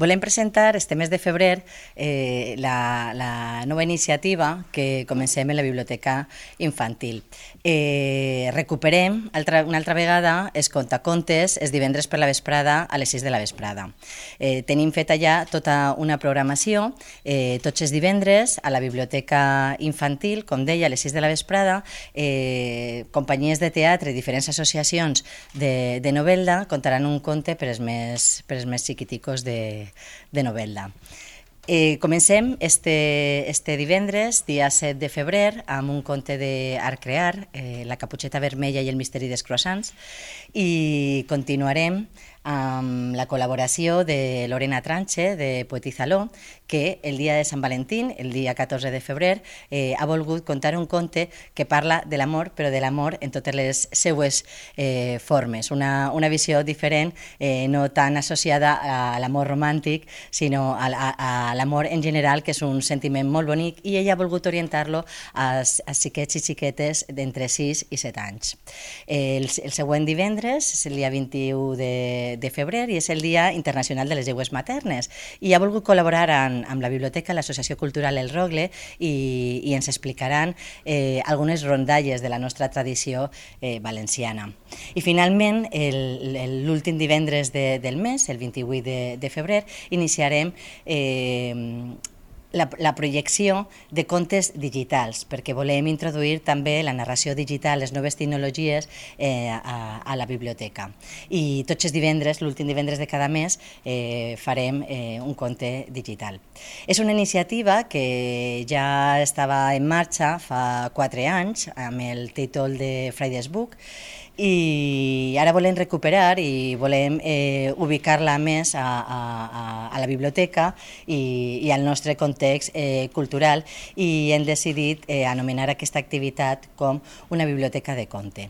Volem presentar este mes de febrer la nova iniciativa que comencem en la Biblioteca Infantil. Recuperem una altra vegada els contacontes els divendres per la vesprada a les 6 de la vesprada. Tenim feta ja tota una programació, tots els divendres a la Biblioteca Infantil, com deia, a les 6 de la vesprada, companyies de teatre i diferents associacions de novel·la contaran un conte per als més xiquiticos de novel·la. Comencem este divendres, dia 7 de febrer, amb un conte d'Art Crear, La caputxeta vermella i el misteri dels croissants, i continuarem amb la col·laboració de Lorena Tranche, de Poetizaló, que el dia de Sant Valentín, el dia 14 de febrer, ha volgut contar un conte que parla de l'amor, però de l'amor en totes les seues formes. Una visió diferent, no tan associada a l'amor romàntic, sinó a l'amor en general, que és un sentiment molt bonic, i ella ha volgut orientar-lo als xiquets i xiquetes d'entre 6 i 7 anys. El següent divendres és el dia 21 de febrer i és el Dia Internacional de les Llengües Maternes, i ha volgut col·laborar amb la biblioteca, l'Associació Cultural El Rogle, i ens explicaran algunes rondalles de la nostra tradició valenciana. I finalment, l'últim divendres del mes, el 28 de febrer, iniciarem la projecció de contes digitals, perquè volem introduir també la narració digital, les noves tecnologies a la biblioteca. I tots els divendres, l'últim divendres de cada mes, farem un conte digital. És una iniciativa que ja estava en marxa fa 4 anys, amb el títol de Friday's Book, i ara volem recuperar i volem ubicar-la més a la biblioteca i al nostre context cultural, i hem decidit anomenar aquesta activitat com una biblioteca de conte.